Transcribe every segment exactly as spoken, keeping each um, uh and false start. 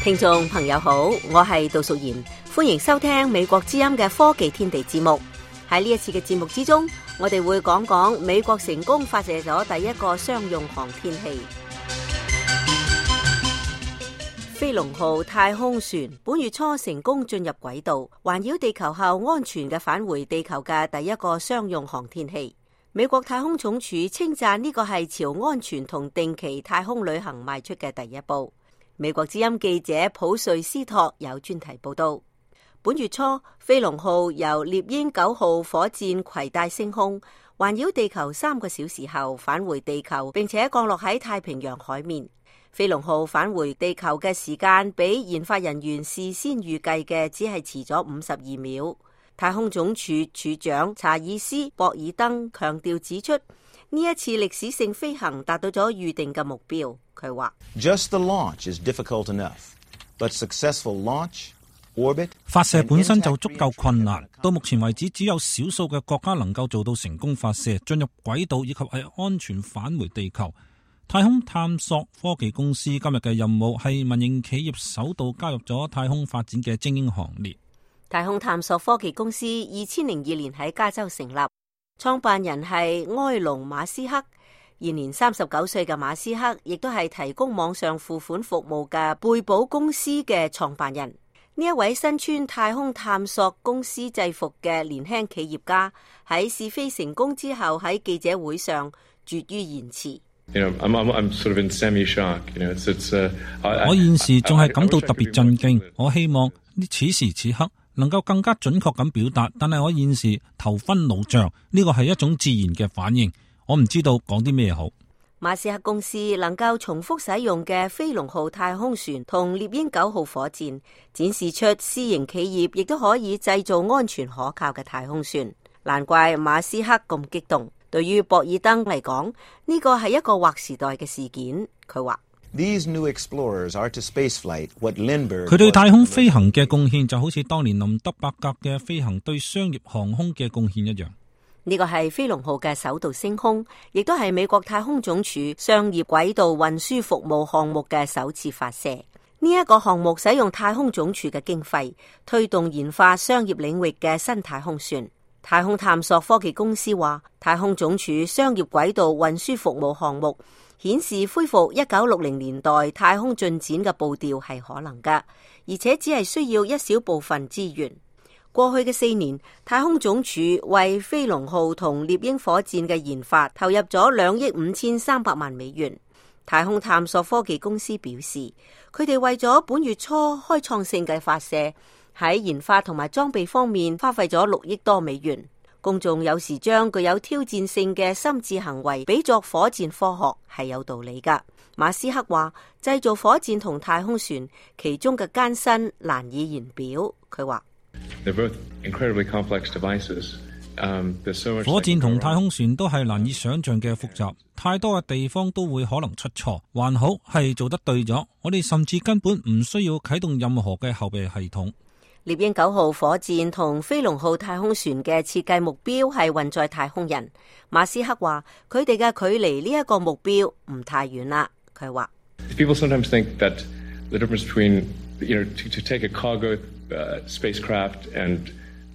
聽眾朋友好，我係杜淑賢，歡迎收聽美國之音嘅科技天地節目。喺呢一次嘅節目之中，我哋會講講美國成功發射咗第一個商用航天器飛龍號太空船，本月初成功進入軌道，環繞地球後安全嘅返回地球嘅第一個商用航天器。美國太空總署稱讚呢個係朝安全同定期太空旅行邁出嘅第一步。美國之音記者普瑞斯托有專題報道，本月初飛龍號由獵鷹九號火箭攜帶升空，環繞地球三個小時後返回地球，並且降落喺太平洋海面。飛龍號返回地球嘅時間比研發人員事先預計嘅只係遲咗五十二秒。太空總署署長查爾斯博爾登強調指出，呢一次歷史性飛行達到咗預定嘅目標。佢話 Just the launch is difficult enough, but successful launch, orbit, 發射本身就足夠困難，到目前為止只有少數嘅國家能夠做到成功發射、進入軌道以及係安全返回地球。太空探索科技公司今日嘅任務係民營企業首度加入咗太空發展嘅精英行列。太空探索科技公司二千零二年喺加州成立，創辦人係埃隆馬斯克。現年三十九歲嘅馬斯克亦都係提供網上付款服務嘅貝寶公司嘅創辦人。呢一位身穿太空探索公司制服嘅年輕企業家喺試飛成功之後喺記者會上絕於言辭。You know, I'm, I'm, I'm sort of in semi-shock. You know, it's, it's, uh, I, 我現時仲係感到特別震驚。我希望呢此時此刻能夠更加準確咁表達，但係我現時頭昏腦脹，呢個係一種自然嘅反應。我唔知道講啲咩好。馬斯克公司能夠重複使用嘅飛龍號太空船同獵鷹九號火箭，展示出私營企業亦都可以製造安全可靠嘅太空船。難怪馬斯克咁激動。對於博爾登嚟講，呢個係一個劃時代嘅事件。佢話These new explorers are to spaceflight what Lindbergh 佢對太空飛行嘅貢獻就好似當年林德伯格嘅飛行對商業航空嘅貢獻一樣。呢個係飛龍號嘅首度升空，亦都係美國太空總署商業軌道運輸服務項目嘅首次發射。呢一個項目使用太空總署嘅經費，推動研發商業領域嘅新太空船。太空探索科技公司話，太空總署商業軌道運輸服務項目顯示恢復一九六零年代太空進展嘅步調係可能㗎，而且只係需要一小部分資源。過去嘅四年，太空總署為飛龍號同獵鷹火箭嘅研發投入咗兩億五千三百萬美元。太空探索科技公司表示，佢哋為咗本月初開創性嘅發射，喺研發同埋裝備方面花費咗六億多美元。公眾有時將具有挑戰性嘅心智行為比作火箭科學係有道理㗎。馬斯克話，製造火箭同太空船其中嘅艱辛難以言表。佢話火箭同太空船都係難以想象嘅複雜，太多嘅地方都會可能出錯。還好係做得對咗，我哋甚至根本唔需要啟動任何嘅後備系統。獵鷹九號火箭同飛龍號太空船嘅設計目標係運載太空人。馬斯克話，佢哋嘅距離呢一個目標唔太遠啦。佢話People sometimes think that the difference between, you know, to, to take a cargo uh, spacecraft and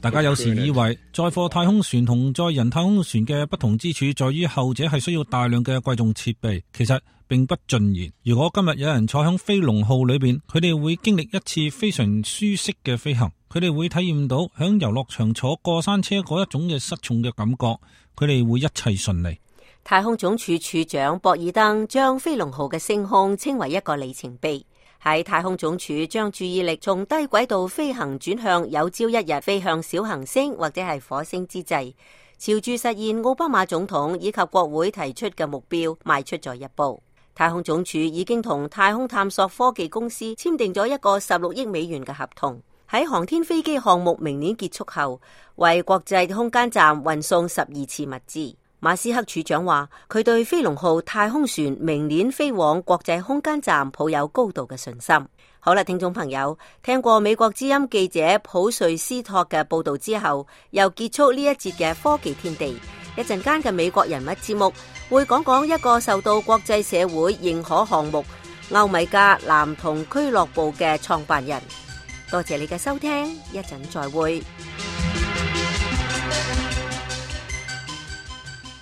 大家有時以為載貨太空船同載人太空船嘅不同之處在於後者係需要大量嘅貴重設備，其實並不盡然。如果今日有人坐響飛龍號裏邊，佢哋會經歷一次非常舒適嘅飛行，佢哋會體驗到響遊樂場坐過山車嗰一種嘅失重嘅感覺，佢哋會一切順利。太空總署署長博爾登將飛龍號嘅升空稱為一個里程碑。喺太空總署將注意力從低軌道飛行轉向有朝一日飛向小行星或者係火星之際，朝住實現奧巴馬總統以及國會提出嘅目標邁出咗一步。太空總署已經同太空探索科技公司簽訂咗一個十六億美元嘅合同，喺航天飛機項目明年結束後，為國際空間站運送十二次物資。馬斯克處長話，佢對飛龍號太空船明年飛往國際空間站抱有高度嘅信心。好啦，聽眾朋友，聽過美國之音記者普瑞斯托嘅報道之後，又結束呢一節嘅科技天地。一陣間嘅美國人物節目會講講一個受到國際社會認可項目，歐米加男童俱樂部嘅創辦人。多謝你嘅收聽，一陣再會。